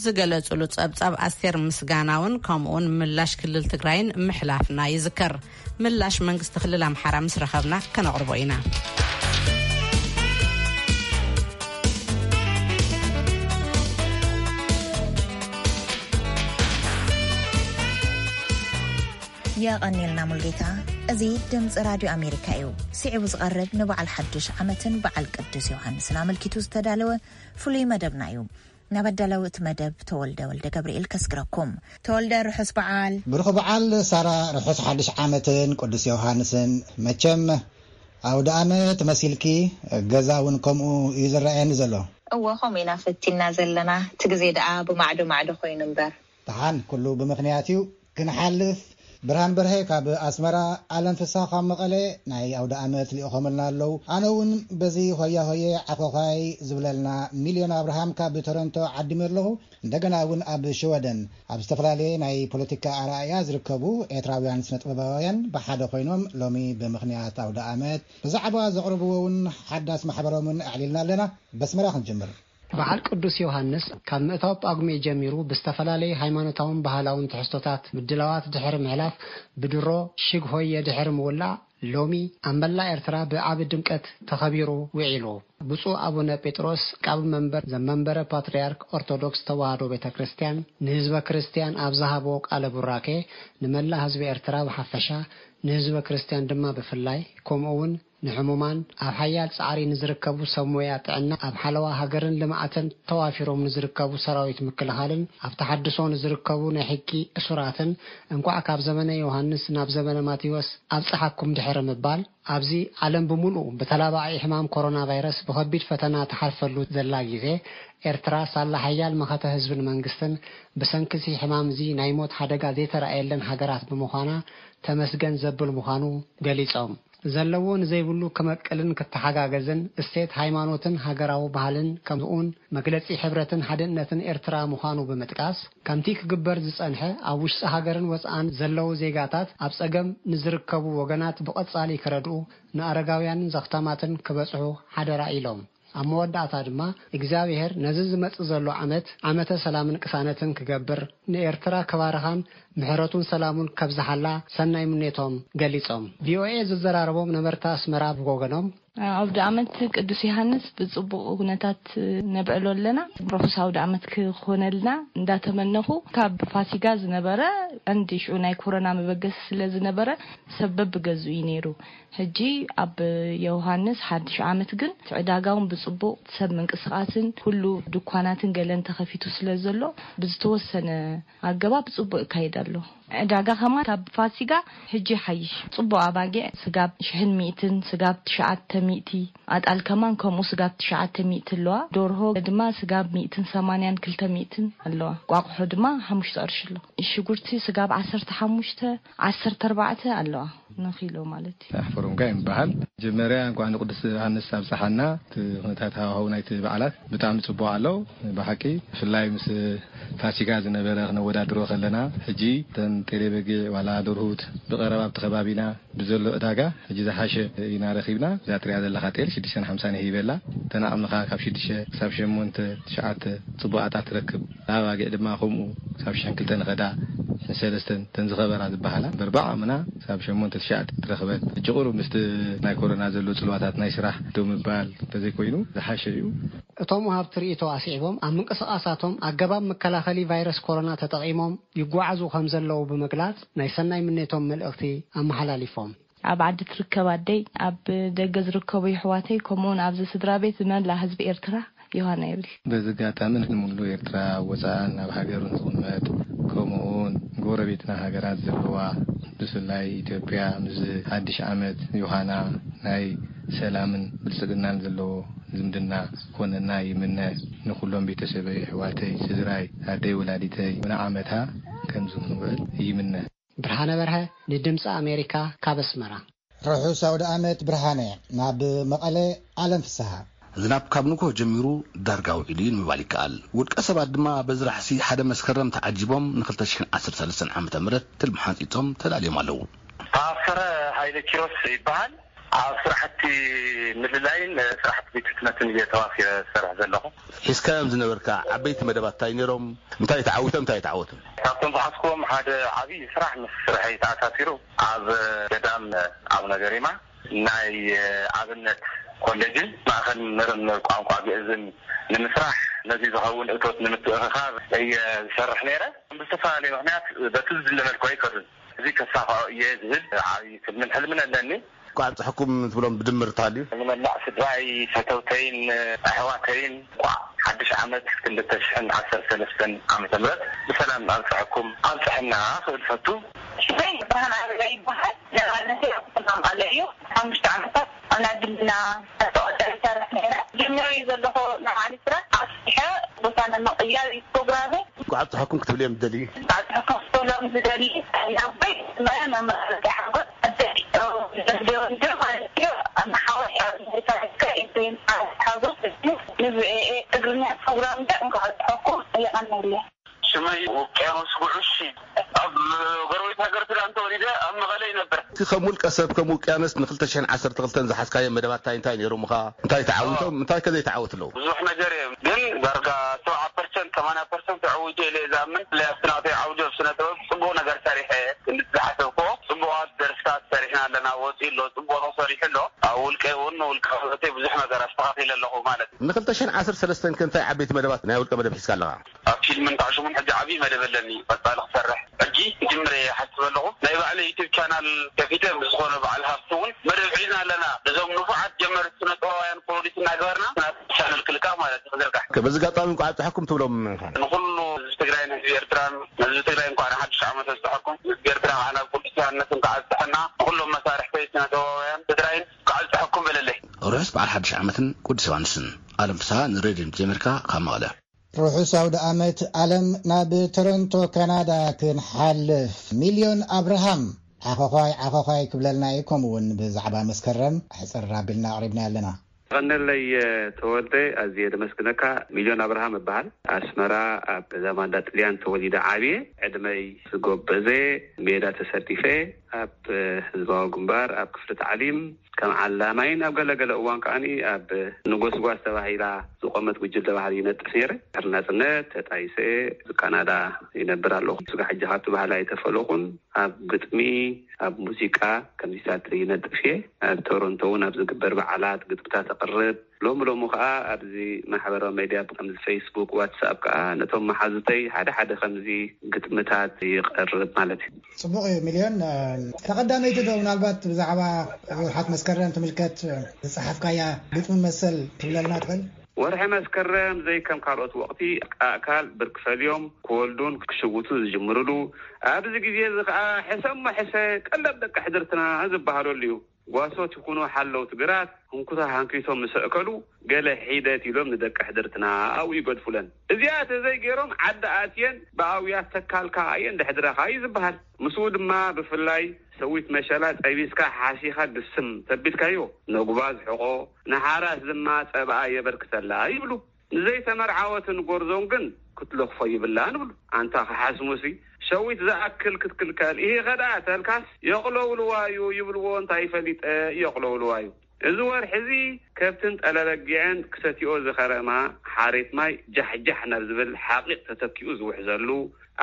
ዝገለጹሉ ጸብጻብ ኣስቴር ምስጋናውን ከምኡውን ምላሽ ክልል ትግራይን ምሕላፍና ይዝከር። ምላሽ መንግስቲ ክልል ኣምሓራ ምስ ረኸብና ከነቕርቦ ኢና። የቐኔልና ሙልጌታ። እዚ ድምፂ ራድዮ ኣሜሪካ እዩ። ስዒቡ ዝቐርብ ንበዓል ሓድሽ ዓመትን በዓል ቅዱስ ዮሃንስን ኣመልኪቱ ዝተዳለወ ፍሉይ መደብና እዩ። ናብ ኣዳላዊ እቲ መደብ ተወልደ ወልደ ገብርኤል ከስግረኩም። ተወልደ፣ ርሑስ በዓል። ብሩኽ በዓል ሳራ፣ ርሑስ ሓድሽ ዓመትን ቅዱስ ዮሃንስን። መቸም ኣውደ ዓመት መሲልኪ፣ ገዛ እውን ከምኡ እዩ ዝረኣየኒ ዘሎ። እወ፣ ከምኡ ኢና ፈቲና ዘለና። እቲ ግዜ ደኣ ብማዕዶ ማዕዶ ኮይኑ እምበር። ደሓን፣ ኩሉ ብምኽንያት እዩ። ክንሓልፍ፣ ብርሃን በርሀ ካብ ኣስመራ፣ ኣለም ፍስሃ ካብ መቐለ ናይ ኣውደ ኣመት ልኢኾምልና ኣለዉ። ኣነ እውን በዚ ሆያ ሆየ ዓኾዃይ ዝብለልና ሚልዮን ኣብርሃም ካብ ቶሮንቶ ዓዲመ ኣለኹ። እንደገና እውን ኣብ ሽወደን ኣብ ዝተፈላለየ ናይ ፖለቲካ ኣረኣእያ ዝርከቡ ኤርትራውያን ስነጥበባውያን ብሓደ ኮይኖም ሎሚ ብምኽንያት ኣውደ ኣመት ብዛዕባ ዘቕርብዎ እውን ሓዳስ ማሕበሮምን ኣዕሊልና ኣለና። በስመራ ክንጅምር። በዓል ቅዱስ ዮሃንስ ካብ ምእታው ጳጉሜ ጀሚሩ ብዝተፈላለዩ ሃይማኖታውን ባህላውን ትሕዝቶታት ምድላዋት ድሕሪ ምሕላፍ፣ ብድሮ ሽግ ሆየ ድሕሪ ምውላዕ፣ ሎሚ ኣብ መላእ ኤርትራ ብዓቢ ድምቀት ተኸቢሩ ውዒሉ። ብፁዕ ኣቡነ ጴጥሮስ፣ ቃብ መንበር ዘመንበረ ፓትርያርክ ኦርቶዶክስ ተዋህዶ ቤተ ክርስቲያን፣ ንህዝበ ክርስቲያን ኣብ ዝሃብዎ ቃለ ቡራኬ፣ ንመላእ ህዝቢ ኤርትራ ብሓፈሻ፣ ንህዝበ ክርስቲያን ድማ ብፍላይ፣ ከምኡ እውን ንሕሙማን፣ ኣብ ሓያል ጻዕሪ ንዝርከቡ ሰብ ሞያ ጥዕና፣ ኣብ ሓለዋ ሃገርን ልምዓትን ተዋፊሮም ንዝርከቡ ሰራዊት ምክልኻልን፣ ኣብ ተሓድሶ ንዝርከቡ ናይ ሕጊ እሱራትን፣ እንቋዕ ካብ ዘመነ ዮሃንስ ናብ ዘመነ ማቴዎስ ኣብጽሓኩም ድሕሪ ምባል፣ ኣብዚ ዓለም ብምሉኡ ብተላባዒ ሕማም ኮሮና ቫይረስ ብኸቢድ ፈተና ትሓልፈሉ ዘላ ግዜ፣ ኤርትራ ሳላ ሓያል መኸተ ህዝብን መንግስትን፣ ብሰንኪ እዚ ሕማም እዚ ናይ ሞት ሓደጋ ዘይተራእየለን ሃገራት ብምዃና፣ ተመስገን ዘብል ምዃኑ ገሊጾም። ዘለዎ ንዘይብሉ ክመቅልን ክተሓጋገዝን፣ እሴት ሃይማኖትን ሃገራዊ ባህልን ከምኡውን መግለጺ ሕብረትን ሓድነትን ኤርትራ ምዃኑ ብምጥቃስ፣ ከምቲ ክግበር ዝጸንሐ ኣብ ውሽጢ ሃገርን ወጻእን ዘለዉ ዜጋታት ኣብ ጸገም ንዝርከቡ ወገናት ብቐጻሊ ክረድኡ፣ ንኣረጋውያንን ዘኽታማትን ክበጽሑ ሓደራ ኢሎም። ኣብ መወዳእታ ድማ እግዚኣብሔር ነዚ ዝመጽእ ዘሎ ዓመት ዓመተ ሰላምን ቅሳነትን ክገብር፣ ንኤርትራ ክባርኻን ምሕረቱን ሰላሙን ከብዝሓላ ሰናይ ምኔቶም ገሊጾም። ቪኦኤ ዝዘራረቦም ነበርቲ ኣስመራ ብወገኖም፣ ኣውደ ዓመት ቅዱስ ዮሃንስ ብጽቡቕ ኩነታት ነብዕሎ ኣለና። ርሑስ ኣውደ ዓመት ክኾነልና እንዳተመነኹ፣ ካብ ፋሲጋ ዝነበረ ቀንዲ ሽዑ ናይ ኮሮና መበገሲ ስለ ዝነበረ ሰብ በብገዝኡ እዩ ነይሩ። ሕጂ ኣብ ዮሃንስ ሓድሽ ዓመት ግን እቲ ዕዳጋ እውን ብጽቡቕ፣ ሰብ ምንቅስቓስን ኩሉ ድኳናትን ገለን ተኸፊቱ ስለ ዘሎ፣ ብዝተወሰነ ኣገባብ ጽቡቕ ይካየድ ኣሎ። ዕዳጋ ከማን ካብ ፋሲጋ ሕጂ ይሓይሽ። ጽቡቕ ኣባጊዕ ስጋብ ሽሕን ሚእትን፣ ስጋብ ትሽዓተ ሚእቲ፣ ኣጣል ከማን ከምኡ ስጋብ ትሽዓተ ሚእቲ ኣለዋ። ደርሆ ድማ ስጋብ ሚእትን ሰማንያን ክልተ ሚእትን ኣለዋ። ቋቑሖ ድማ ሓሙሽተ ቅርሺ ኣሎ። ሽጉርቲ ስጋብ ዓሰርተ ሓሙሽተ፣ ዓሰርተ ኣርባዕተ ኣለዋ ንኪሎ ማለት እዩ። ኣሕፈሮም ጋይ ይበሃል። መጀመርያ እንኳዕ ንቅዱስ ዮሃንስ ኣብፀሓና። እቲ ኩነታት ሃዋህው ናይቲ በዓላት ብጣዕሚ ጽቡቕ ኣሎ። ብሓቂ ብፍላይ ምስ ፋሲጋ ዝነበረ ክነወዳድሮ ከለና፣ ሕጂ እተን ጤሌ በጊዕ ዋላ ደርሁት ብቐረባ ኣብቲ ከባቢና ብዘሎ ዕዳጋ ሕጂ ዝሓሸ ኢና ረኺብና። እዛ ትሪኣ ዘለኻ ጤል ሽዱሽተን ሓምሳን ይህበላ። እተን ዓቕምኻ ካብ ሽዱሽተ ክሳብ ሸሞንተ፣ ትሽዓተ ጽቡቓት ትረክብ። ኣባጊዕ ድማ ከምኡ ክሳብ ሽሕን ክልተን ይኸዳ፣ ሽሕን ሰለስተን እተን ዝኸበራ ዝበሃላ። እምበር ብዓቕምና ክሳብ ሸሞንተ ትሽዓተ ትረኽበን። ሕጂ ቁሩብ ምስቲ ናይ ኮሮና ዘሎ ጽልዋታት ናይ ስራሕ ደው ምባል እንተዘይኮይኑ ዝሓሸ እዩ። እቶም ወሃብቲ ርእይቶ ኣስዒቦም፣ ኣብ ምንቅስቓሳቶም ኣገባብ መከላኸሊ ቫይረስ ኮሮና ተጠቒሞም ይጓዓዙ ከም ዘለዉ ብምግላጽ፣ ናይ ሰናይ ምኔቶም መልእኽቲ ኣመሓላሊፎም። ኣብ ዓዲ ትርከብ ኣደይ፣ ኣብ ደገ ዝርከቡ የሕዋተይ፣ ከምኡውን ኣብዚ ስድራ ቤት ዝመላ ህዝቢ ኤርትራ ዮሃና ይብል። በዚ ኣጋጣሚ ንሙሉ ኤርትራ፣ ኣብ ወጻእን ኣብ ሃገሩን ዝቕመጥ፣ ከምኡውን ጎረቤትና ሃገራት ዘለዋ፣ ብፍላይ ኢትዮጵያ፣ ምስ ሓድሽ ዓመት ዮሃና ናይ ሰላምን ብልጽግናን ዘለዎ ዝምድና ክኾነና ይምነ። ንኹሎም ቤተሰበይ፣ ኣሕዋተይ፣ ስድራይ፣ ኣደይ ወላዲተይ፣ ንዓመታ ከምዚ ክንውዕል ይምነ። ብርሃነ በርሀ፣ ንድምፂ ኣሜሪካ፣ ካብ ኣስመራ። ርሑስ ኣውደ ዓመት ብርሃነ። ናብ መቐለ፣ ኣለም ፍስሃ። ዝናብ ካብ ንግሆ ጀሚሩ ዳርጋ ውዒሉ እዩ ንምባል ይከኣል። ውልቀ ሰባት ድማ በዚ ራሕሲ ሓደ መስከረም ተዓጂቦም ንክልተ ሽሕን ዓሰርተ ሰለስተን ዓመተ ምህረት ትልሚ ሓንጺጾም ተዳልዮም ኣለዉ። ታፈረ ሃይለ ኪሮስ ይበሃል። ኣብ ስራሕቲ ምልላይን ስራሕቲ ቤት ሕትመትን እየ ተዋፊረ ዝሰርሕ ዘለኹ። ሒዝካዮም ዝነበርካ ዓበይቲ መደባት እንታይ ነይሮም? እንታይ ተዓዊቶም፣ እንታይ ተዓወቱ? ካብቶም ዝሓዝኩዎም ሓደ ዓብዪ ስራሕ ምስ ስርሐይ ተኣሳሲሩ ኣብ ገዳም ኣቡነ ገሪማ ናይ ኣብነት ኮሌጅን ማእኸል ምርምር ቋንቋ ግእዝን ንምስራሕ፣ ነዚ ዝኸውን እቶት ንምትእኽኻብ እየ ዝሰርሕ ነይረ። ብዝተፈላለየ ምኽንያት በቲ ዝድለ መልክዑ ኣይከዱን። እዚ ከሳኽዖ እየ ዝብል ዓብዪ ትልምን ሕልምን ኣለኒ። እንኳዕ ኣብፀሐኩም ትብሎም ብድምር እንተሃልዩ? ንመላእ ስድራይ፣ ፈተውተይን ኣሕዋተይን እንኳዕ ሓድሽ ዓመት ክልተ ሽሕን ዓሰርተ ሰለስተን ዓመተ ምህረት ብሰላም ኣብፀሐኩም፣ ኣብፀሐና ክብል ፈቱ። ሽመይ ብርሃን ኣበበ ይበሃል። ነባርነተይ ኣብ ከተማ መቐለ እዩ። ሓሙሽተ ዓመታት ኣብ ናይ ግልና ተቆጠሪ ይሰርሕ ነይረ። ጀሚረ እዩ ዘለኹ ንባዕሊ ስራሕ ኣስፊሐ ቦታ ንምቕያር እዩ ፕሮግራመይ። እንኳዕ ኣብፀሐኩም ክትብል እየ ምደሊ። እንኳዕ ኣብፀሐኩም ክትብሎም ዝደሊ ናቦይ መመራረቂ ሓጎስ ኣደይ ወልደ ወልደ ማለት እዩ። ንሓወይ ኣብ ኣሜሪካ ይርከብ። ኤፍሬም ሓጎስ ንቪኦኤ ትግርኛ ፕሮግራም እንኳዕ ኣብፀሐኩም። የቐንየለይ። ሽመይ ውቅያኖስ ጉዑሽ፣ ኣብ ጎረቤት ሃገር ሱዳን ተወሊደ ኣብ መቐለ ይነብር። እቲ ከም ውልቀ ሰብ፣ ከም ውቅያኖስ ንክልተ ሽሕን ዓሰርተ ክልተን ዝሓዝካዮም መደባት እንታይ እንታይ ነይሮምኻ? እንታይ ተዓዊቶም? እንታይ ከ ዘይተዓወቱ ኣለዉ? ብዙሕ ነገር እዮም፣ ግን ዳርጋ ሰብዓ ፐርሰንት፣ ሰማንያ ፐርሰንት ኣዕዊቱ ኢለ እየ ዝኣምን። ብፍላይ ኣብቲ ናተይ ዓውዲ ኣብ ስነ ጥበብ ጽቡቕ ነገር ሰሪሐ እየ። ክንዲ ዝሓሰብክዎ ጽቡቓት ደርፍታት ሰሪሕና ኣለና። ወጺኡ ኣሎ፣ ጽቡቕ ተሰሪሑ ኣሎ። ኣብ ውልቀይ እውን፣ ውልቃዊ ህይወተይ ብዙሕ ነገር ኣስተኻኺለ ኣለኹ ማለት እዩ። ንክልተ ሽሕን ዓሰርተ ሰለስተን ከ እንታይ ዓበይቲ መደባት ናይ ውልቀ መደብ ሒዝካ ኣለኻ? ኣብ ፊልምን ጣዕሽሙን ሕጂ ዓብዪ መደብ ኣለኒ፣ ቀጻሊ ክሰርሕ። ሕጂ ክጅምር እየ ይሓስብ ኣለኹ። ናይ ባዕለይ ዩቱብ ቻናል ከፊተ፣ ምስ ዝኾነ በዓል ሃፍቲ እውን መደብ ሒዝና ኣለና። ነዞም ንፉዓት ጀመርቲ ስነ ጥበባውያን ፕሮዲስ እናገበርና፣ ናት ቻነል ክልቃቕ ማለት እዩ፣ ክዝርጋሕ። በዚ ኣጋጣሚ እንኳዕ ኣብፀሐኩም ትብሎም? ንኹሉ ህዝቢ ትግራይን ህዝቢ ኤርትራን፣ ንህዝቢ ትግራይ እንኳዕ ንሓድሽ ዓመት ኣብፀሐኩም። ህዝቢ ኤርትራ ከዓ ናብ ቅዱስ ዮሃንስ እንኳዕ ኣብፀሐና። ንኹሎም መሳርሕተይ ስነ ጥበባውያን ትግራይን እንኳዕ ኣብፀሐኩም በለለይ። ርሑስ በዓል ሓድሽ ዓመትን ቅዱስ ዮሃንስን። ኣለም ፍስሃ ንሬድዮ ድምፂ ኣሜሪካ ካብ መቐለ። ርሑስ ኣውደ ኣመት ኣለም። ናብ ቶሮንቶ ካናዳ ክንሓልፍ፣ ሚልዮን ኣብርሃም ዓኾዃይ ዓኾዃይ ክብለልና እዩ። ከምኡ እውን ብዛዕባ መስከረም ሕፅር ኣቢልና ኣቕሪብና ኣለና። ቀነለይ ተወልደ፣ ኣዝየ ደመስግነካ። ሚልዮን ኣብርሃም እበሃል። ኣስመራ ኣብ ገዛ ማንዳ ጥልያን ተወሊደ ዓብየ። ዕድመይ ዝጎበዘ፣ ሜዳ ተሰዲፈ፣ ኣብ ህዝባዊ ግንባር፣ ኣብ ክፍሊ ታዕሊም ከም ዓላማይን ኣብ ገለገለ እዋን ከዓኒ ኣብ ንጎስጓስ ተባሂላ ዝቆመት ጉጅለ ባህሊ ይነጥፍ ነይረ። ድሕሪ ናጽነት ተጣይሰ ካናዳ ይነብር ኣለኹ። ስጋ ሕጂ ካብቲ ባህሊ ኣይተፈለኹን። ኣብ ግጥሚ፣ ኣብ ሙዚቃ ከምዚታት ይነጥፍ እየ። ኣብ ቶሮንቶ እውን ኣብ ዝግበር በዓላት ግጥምታት ኣቕርብ። ሎሚ ሎሚ ከኣ ኣብዚ ማሕበራዊ ሜድያ ከምዚ ፌስቡክ፣ ዋትስኣፕ ከኣ ነቶም መሓዙተይ ሓደ ሓደ ከምዚ ግጥምታት ይቐርብ ማለት እዩ። ጽቡቕ እዩ ሚልዮን። እ፣ ተቐዳመይቲ ዶ ምናልባት ብዛዕባ ወርሓት መስከረም ትምልከት፣ እ፣ ዝጸሓፍካያ ግጥሚ መሰል ትብለልና ትኽእል? ወርሒ መስከረም ዘይከም ካልኦት ወቕቲ ኣእካል ብርክ ፈልዮም ክወልዱን ክሽውቱን ዝጅምርሉ፣ ኣብዚ ግዜ እዚ ከኣ ሕሰሞ ሕሰ ቀለብ ደቂ ሕድርትና ዝበሃለሉ እዩ። ጓሶት ይኹኑ ሓለውቲ ግራት ህንኩታ ሃንኪቶም ምስ ኣእከሉ፣ ገለ ሒደት ኢሎም ንደቂ ሕድርትና ኣብኡ ይገድፉለን። እዚኣ ተዘይገይሮም ዓዲ ኣትየን ብኣውያት ተካልካ እየን ድሕድረኻ እዩ ዝበሃል። ምስኡ ድማ ብፍላይ ሰዊት መሸላ ጠቢስካ ሓሲኻ ግስም ተቢልካዮ፣ ነጉባ ዝሕቆ፣ ንሓራስ ድማ ጸብኣ የበርክተላ ይብሉ። ንዘይተመርዓወትን ጎርዞን ግን ክትለኽፎ ይብላን ይብሉ። ኣንታ ክሓስሙሲ፣ ሸዊት ዝኣክል ክትክልከል፣ ኢሂ ከድኣ ተልካስ፣ የቕለውልዋዩ ይብልዎ፣ እንታይ ፈሊጠ፣ የቕለውልዋዩ። እዚ ወርሒ እዚ ከብትን ጠለበጊዕን ክሰትዮ ዝኸረማ ሓሬት ማይ ጃሕጃሕ ናብ ዝብል ሓቒቕ ተተኪኡ ዝውሕዘሉ፣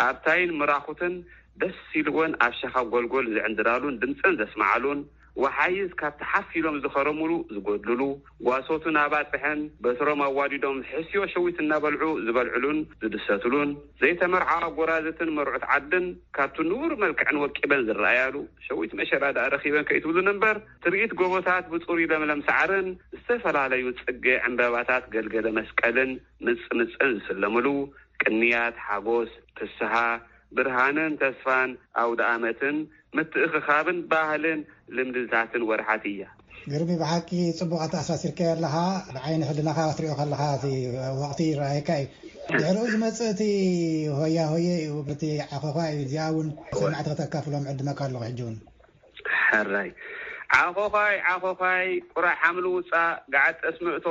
ኣብታይን ምራኹትን ደስ ኢልወን ኣብ ሸኻ ጎልጎል ዝዕንድራሉን ድምፀን ዘስምዓሉን፣ ወሓይዝ ካብቲ ሓፍ ኢሎም ዝኸረሙሉ ዝጎድልሉ፣ ጓሶትን ኣባፅሕን በትሮም ኣዋዲዶም ሕስዮ ሸዊት እናበልዑ ዝበልዕሉን ዝድሰትሉን፣ ዘይተመርዓዋ ጎራዝትን መርዑት ዓድን ካብቲ ንቡር መልክዕን ወቂበን ዝረኣያሉ፣ ሸዊት መሸላ ደኣ ረኺበን ከይትብሉኒ እምበር፣ ትርኢት ጎቦታት ብፅሩይ ለምለም ሳዕርን ዝተፈላለዩ ፅገ ዕምበባታት ገልገለ መስቀልን ምፅምፅን ዝስለምሉ፣ ቅንያት፣ ሓጎስ፣ ፍስሃ፣ ብርሃንን ተስፋን ኣውደ ኣመትን ምትእኽኻብን ባህልን ልምድታትን ወርሓት እያ። ግርሚ፣ ብሓቂ ጽቡቕ ኣተኣሳሲርካዮ ኣለኻ። ብዓይኒ ሕልናኻ ክትሪኦ ከለኻ እቲ ወቕቲ ይረኣየካ እዩ። ድሕሪኡ ዝመጽእ እቲ ሆያ ሆየ እዩ፣ እቲ ዓኾዃ እዩ። እዚኣ እውን ሰማዕቲ ከተካፍሎም ዕድመካ ኣለኹ ሕጂ እውን። ሕራይ ዓኾዃይ ዓኾዃይ፣ ቁራዕ ሓምሊ ውጻእ፣ ገዓት ጠስሚ እቶ፣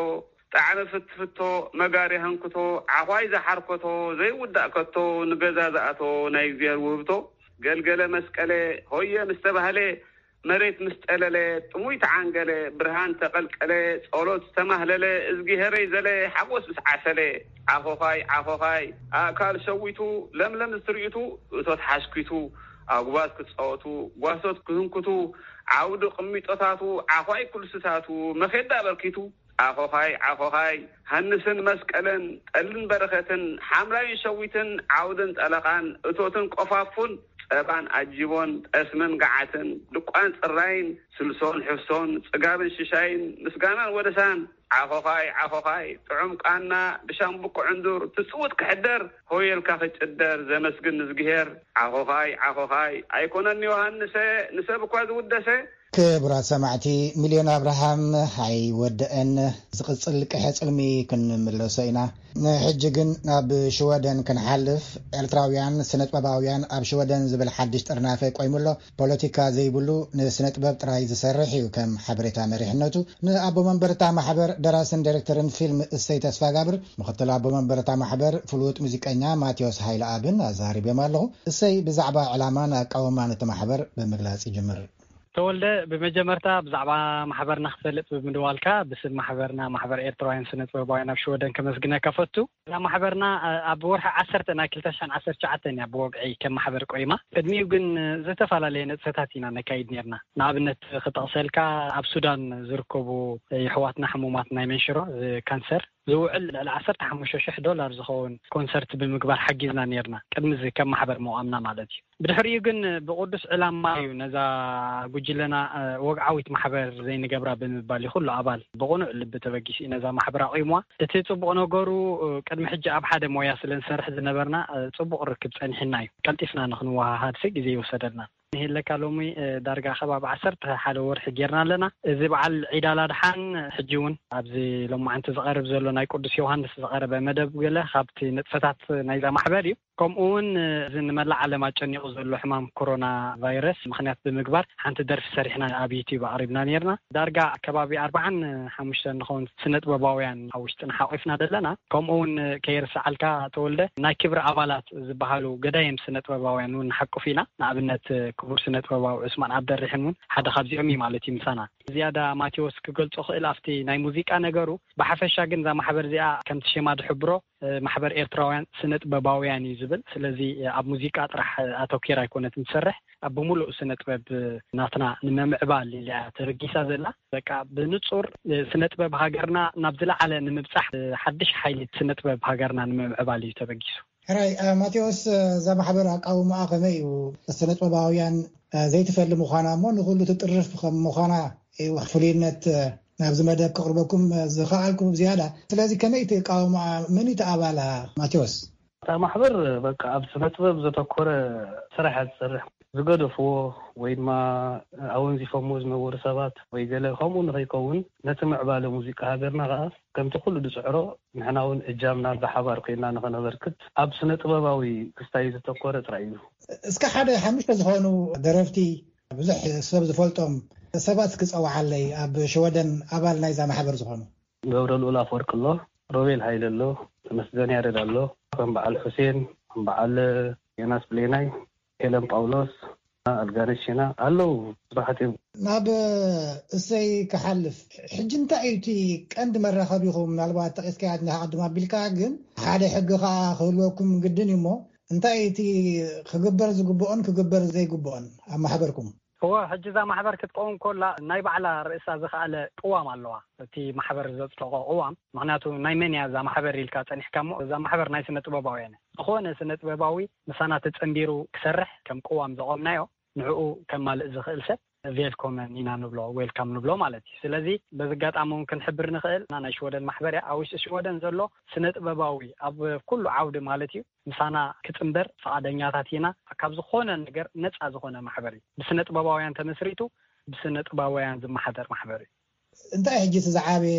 ጣዕሚ ፍትፍቶ፣ መጋሪ ሃንክቶ፣ ዓዃይ ዝሓርኮቶ፣ ዘይውዳእ ከቶ፣ ንገዛ ዝኣቶ ናይ እግዚኣብሔር ውህብቶ፣ ገልገለ መስቀለ ሆየ ምስ ተባህለ፣ መሬት ምስ ጠለለ፣ ጥሙይ ተዓንገለ፣ ብርሃን ተቐልቀለ፣ ጸሎት ዝተማህለለ፣ እዝጊሄረይ ዘለ፣ ሓጎስ ምስ ዓሰለ፣ ዓኾዃይ ዓኾዃይ፣ ኣእካል ሸዊቱ፣ ለምለም ዝትርኢቱ፣ እቶት ሓሽኪቱ፣ ኣጉባዝ ክጻወቱ፣ ጓሶት ክህንክቱ፣ ዓውዲ ቅሚጦታቱ፣ ዓዃይ ኩልስታቱ፣ መኼዳ ኣበርኪቱ፣ ዓኾዃይ ዓኾዃይ፣ ሃንስን መስቀለን፣ ጠልን በረኸትን፣ ሓምላይን ሸዊትን፣ ዓውድን ጠለቓን፣ እቶትን ቆፋፉን፣ ጸባን ኣጅቦን፣ ጠስምን ገዓትን፣ ድቋን ጽራይን፣ ስልሶን ሕፍሶን፣ ጽጋብን ሽሻይን፣ ምስጋናን ወደሳን፣ ዓኾዃይ ዓኾዃይ፣ ጥዑም ቃና፣ ብሻምብቆ ዕንዱር፣ ትጽውት ክሕደር፣ ሆየልካ ክጭደር፣ ዘመስግን ንዝግሄር፣ ዓኾዃይ ዓኾዃይ፣ ኣይኮነን ዮሃንሰ፣ ንሰብ እኳ ዝውደሰ፣ ክቡራት ሰማዕቲ፣ ሚልዮን ኣብርሃም ኣይወደአን። ዝቕጽል ቅሐ ጽልሚ ክንምለሶ ኢና። ንሕጂ ግን ናብ ሽወደን ክንሓልፍ። ኤርትራውያን ስነጥበባውያን ኣብ ሽወደን ዝብል ሓድሽ ጥርናፈ ቆይሙ ኣሎ። ፖለቲካ ዘይብሉ፣ ንስነጥበብ ጥራይ ዝሰርሕ እዩ፣ ከም ሓበሬታ መሪሕነቱ። ንኣቦ መንበር እታ ማሕበር፣ ደራስን ዳይሬክተርን ፊልም እሰይ ተስፋጋብር፣ ምኽትል ኣቦ መንበር እታ ማሕበር ፍሉጥ ሙዚቀኛ ማቴዎስ ሃይለኣብን ኣዛሪበዮም ኣለኹ። እሰይ፣ ብዛዕባ ዕላማን ኣቃውማን እቲ ማሕበር ብምግላጽ ይጅምር። ተወልደ፣ ብመጀመርታ ብዛዕባ ማሕበርና ክትፈልጥ ብምድዋልካ ብስም ማሕበርና፣ ማሕበር ኤርትራውያን ስነ ጥበባውያን ኣብ ሽወደን፣ ከመስግነካ ፈቱ። እዛ ማሕበርና ኣብ ወርሒ ዓሰርተ ናይ ክልተ ሽሕን ዓሰርተ ትሽዓተን እያ ብወግዒ ከም ማሕበር ቆይማ። ቅድሚኡ ግን ዝተፈላለየ ንጥፈታት ኢና ነካይድ ነርና። ንኣብነት ክጠቕሰልካ፣ ኣብ ሱዳን ዝርከቡ የሕዋትና ሕሙማት ናይ መንሽሮ፣ ካንሰር፣ ዝውዕል ልዕሊ ዓሰርተ ሓሙሽተ ሽሕ ዶላር ዝኸውን ኮንሰርት ብምግባር ሓጊዝና ነርና፣ ቅድሚ እዚ ከም ማሕበር ምቋምና ማለት እዩ። ብድሕሪኡ ግን ብቅዱስ ዕላማ እዩ ነዛ ጉጅለና ወግዓዊት ማሕበር ዘይንገብራ ብምባል እዩ ኩሉ ኣባል ብቅኑዕ ልቢ ተበጊሱ እዩ ነዛ ማሕበር ኣቑምዋ። እቲ ጽቡቕ ነገሩ፣ ቅድሚ ሕጂ ኣብ ሓደ ሞያ ስለ ንሰርሕ ዝነበርና፣ ጽቡቕ ርክብ ጸኒሕና እዩ። ቀልጢፍና ንክንወሃሃድ ግዜ ይወሰደልና። ንሄለካ ሎሚ ዳርጋ ከባቢ ዓሰርተ ሓደ ወርሒ ጌርና ኣለና። እዚ በዓል ዒድ ኣላድሓን ሕጂ እውን ኣብዚ ሎማዓንቲ ዝቐርብ ዘሎ ናይ ቅዱስ ዮሃንስ ዝቐረበ መደብ ገለ ካብቲ ንጥፈታት ናይዛ ማሕበር እዩ። ከምኡ እውን እዚ ንመላእ ዓለም ኣጨኒቑ ዘሎ ሕማም ኮሮና ቫይረስ ምኽንያት ብምግባር ሓንቲ ደርፊ ሰሪሕና ኣብ ዩቲዩብ ኣቕሪብና ነርና። ዳርጋ ከባቢ ኣርባዓን ሓሙሽተን ንኸውን ስነ ጥበባውያን ኣብ ውሽጥና ሓቒፍና ደለና። ከምኡ እውን ከይርስዓልካ ተወልደ፣ ናይ ክብሪ ኣባላት ዝበሃሉ ገዳይም ስነ ጥበባውያን እውን ንሓቁፍ ኢና። ንኣብነት ክቡር ስነ ጥበባዊ ዑስማን ኣብደርሕን እውን ሓደ ካብዚኦም እዩ ማለት እዩ ምሳና። ዝያዳ ማቴዎስ ክገልጾ ክእል ኣብቲ ናይ ሙዚቃ ነገሩ። ብሓፈሻ ግን እዛ ማሕበር እዚኣ ከምቲ ሽማ ዝሕብሮ ማሕበር ኤርትራውያን ስነ ጥበባውያን እዩ ዝብል። ስለዚ ኣብ ሙዚቃ ጥራሕ ኣተኪራ ኣይኮነትን ትሰርሕ፣ ኣብ ብምሉእ ስነ ጥበብ ናትና ንምምዕባል ኢላ እያ ተበጊሳ ዘላ። በቃ ብንጹር ስነ ጥበብ ሃገርና ናብ ዝለዓለ ንምብጻሕ፣ ሓድሽ ሓይሊ ስነ ጥበብ ሃገርና ንምምዕባል እዩ ተበጊሱ። ሕራይ ማቴዎስ፣ እዛ ማሕበር ኣቃውማኣ ከመይ እዩ? ስነ ጥበባውያን ዘይትፈሊ ምዃና እሞ ንኹሉ ትጥርፍ ከም ምዃና እዩ ፍሉይነት ናብዚ መደብ ከቕርበኩም ዝኸኣልኩ ብዝያዳ። ስለዚ ከመይ እቲ ኣቃውማኣ? መን እዩ እቲ ኣባላ ማቴዎስ? እታ ማሕበር በቃ ኣብ ስነ ጥበብ ዘተኮረ ስራሕ እያ ትሰርሕ። ዝገደፍዎ ወይ ድማ ኣወንዚፎምዎ ዝነበሩ ሰባት ወይ ገለ ከምኡ ንኸይከውን፣ ነቲ ምዕባለ ሙዚቃ ሃገርና ከኣ ከምቲ ኩሉ ዝጽዕሮ ንሕና እውን እጃምና ብሓባር ኮይና ንኸነበርክት ኣብ ስነ ጥበባዊ ክስታይ ዘተኮረ ጥራይ እዩ። እስከ ሓደ ሓሙሽተ ዝኾኑ ደረፍቲ ብዙሕ ሰብ ዝፈልጦም ሰባት ክጸውዓለይ፣ ኣብ ሽወደን ኣባል ናይዛ ማሕበር ዝኾኑ። ገብረ ልኡል ኣፈወርቂ ኣሎ፣ ሮቤል ሃይለ ኣሎ፣ ተመስገን ያሬድ ኣሎ፣ ከም በዓል ሑሴን፣ ከም በዓል ዮናስ ብሌናይ፣ ሄለን ጳውሎስ፣ ኣልጋነሽ ሸና ኣለዉ። ብዙሓት እዮም። ናብ እሰይ ክሓልፍ፣ ሕጂ እንታይ እዩ እቲ ቀንዲ መራኸቢኹም? ምናልባት ጠቒስካያ እንዲኻ ቅድም ኣቢልካ፣ ግን ሓደ ሕጊ ከኣ ክህልወኩም ግድን እዩ እሞ፣ እንታይ እዩ እቲ ክግበር ዝግብኦን ክግበር ዘይግብኦን ኣብ ማሕበርኩም? እወ፣ ሕጂ እዛ ማሕበር ክትቀውም ከላ ናይ ባዕላ ርእሳ ዝኸኣለ ቅዋም ኣለዋ። እቲ ማሕበር ዘጽደቖ ቅዋም፣ ምኽንያቱ ናይ መን እያ እዛ ማሕበር ኢልካ ጸኒሕካ እሞ፣ እዛ ማሕበር ናይ ስነ ጥበባውያን እያ። ዝኾነ ስነ ጥበባዊ ምሳና ተጸንቢሩ ክሰርሕ ከም ቅዋም ዘቆምናዮ፣ ንዕኡ ከማልእ ዝኽእል ሰብ ቬልኮመን ኢና ንብሎ፣ ዌልካም ንብሎ ማለት እዩ። ስለዚ በዚ ኣጋጣሚ እውን ክንሕብር ንኽእል፣ ናይ ሽወደን ማሕበር እያ። ኣብ ውሽጢ ሽወደን ዘሎ ስነ ጥበባዊ ኣብ ኩሉ ዓውዲ ማለት እዩ ምሳና ክጽንበር ፍቓደኛታት ኢና። ካብ ዝኾነ ነገር ነጻ ዝኾነ ማሕበር እዩ። ብስነ ጥበባውያን ተመስሪቱ፣ ብስነ ጥበባውያን ዝመሓደር ማሕበር እዩ። እንታይ ሕጂ እቲ ዝዓበየ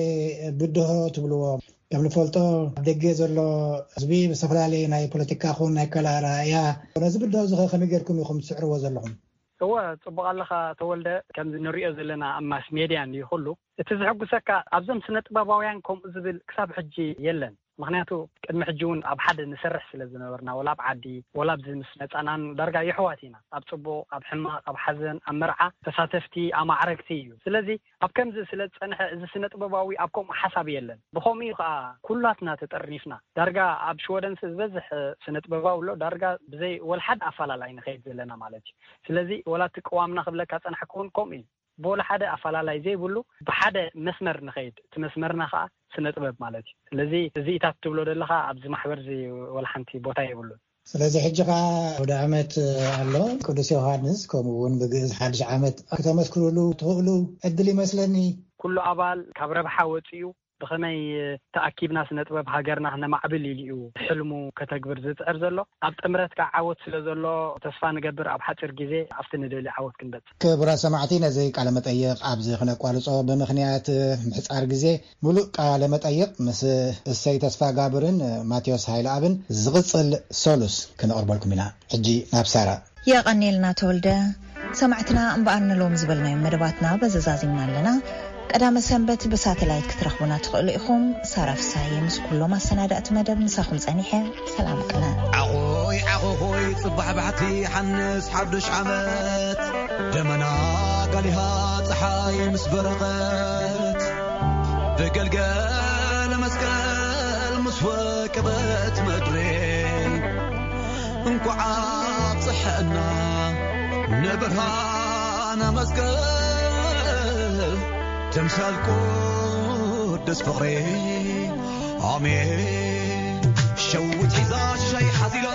ብድሆ ትብልዎ? ከም ንፈልጦ ኣብ ደገ ዘሎ ህዝቢ ብዝተፈላለየ ናይ ፖለቲካ ኹን ናይ ኣከላእላ እያ። ነዚ ብድሆ እዚ ኸ ከመይ ጌርኩም ኢኹም ትስዕርዎ ዘለኹም? እወ፣ ጽቡቕ ኣለኻ ተወልደ። ከምዚ ንሪኦ ዘለና ኣብ ማስ ሜድያ እንድዩ ኩሉ። እቲ ዝሕጉሰካ ኣብዞም ስነ ጥበባውያን ከምኡ ዝብል ክሳብ ሕጂ የለን። ምኽንያቱ ቅድሚ ሕጂ እውን ኣብ ሓደ ንሰርሕ ስለ ዝነበርና፣ ወላ ኣብ ዓዲ ወላ ኣብዚ ምስ መጻናን ዳርጋ የሕዋት ኢና። ኣብ ጽቡቕ፣ ኣብ ሕማቕ፣ ኣብ ሓዘን፣ ኣብ መርዓ ተሳተፍቲ፣ ኣማዕረግቲ እዩ። ስለዚ ኣብ ከምዚ ስለ ዝጸንሐ እዚ ስነ ጥበባዊ ኣብ ከምኡ ሓሳብ የለን። ብኸምኡ እዩ ከኣ ኩላትና ተጠርኒፍና። ዳርጋ ኣብ ሽወደን ዝበዝሕ ስነ ጥበባዊ ኣሎ፣ ዳርጋ ብዘይ ወላ ሓደ ኣፈላላይ ንኸይድ ዘለና ማለት እዩ። ስለዚ ወላ እቲ ቅዋምና ክብለካ ጸናሕኩ እውን ከምኡ እዩ። ብወላ ሓደ ኣፈላላይ ዘይብሉ ብሓደ መስመር ንኸይድ፣ እቲ መስመርና ከኣ ስነ ጥበብ ማለት እዩ። ስለዚ እዚኢታት ትብሎ ዘለኻ ኣብዚ ማሕበር እዚ ወላ ሓንቲ ቦታ የብሉን። ስለዚ ሕጂ ከኣ ወደ ዓመት ኣሎ፣ ቅዱስ ዮሃንስ፣ ከምኡ እውን ብግእዝ ሓድሽ ዓመት ክተመስክሩሉ ትኽእሉ ዕድል ይመስለኒ። ኩሉ ኣባል ካብ ረብሓ ወጺኡ ብኸመይ ተኣኪብና ስነ ጥበብ ሃገርና ክነማዕብል ኢሉ እዩ ሕልሙ ከተግብር ዝጽዕር ዘሎ። ኣብ ጥምረት ከኣ ዓወት ስለ ዘሎ ተስፋ ንገብር ኣብ ሓጺር ግዜ ኣብቲ ንደልዮ ዓወት ክንበጽሕ። ክቡራት ሰማዕቲ፣ ነዚ ቃለ መጠይቕ ኣብዚ ክነቋርጾ ብምኽንያት ምሕጻር ግዜ፣ ምሉእ ቃለ መጠይቕ ምስ እሰይ ተስፋጋብርን ማቴዎስ ሃይለኣብን ዝቕጽል ሰሉስ ክነቕርበልኩም ኢና። ሕጂ ናብ ሳራ። የቐንየልና ተወልደ። ሰማዕትና እምበኣር ንሎም ዝበልናዮም መደባትና በዚ ዛዚምና ኣለና። ቀዳመ ሰንበት ብሳተላይት ክትረኽቡና ትኽእሉ ኢኹም። ሳራ ፍሳሃየ ምስ ኩሎም ኣሰናዳእቲ መደብ ምሳኹም ጸኒሐ። ሰላም ቅነ። ዓኾይ ዓኾኾይ ጽባሕ ባሕቲ ሓንስ ሓዱሽ ዓመት፣ ደመና ቀሊሃ ፀሓይ ምስ በረቐት ብገልገለ መስቀል ምስ ወቀበት ምድሪ እንኳዕ ኣብፀሐና ንብርሃነ መስቀል ተምሳል ቅዱስ ፍቕሪ ኣሜን። ሸዊት ሒዛ ሽሻይ ሓዚላ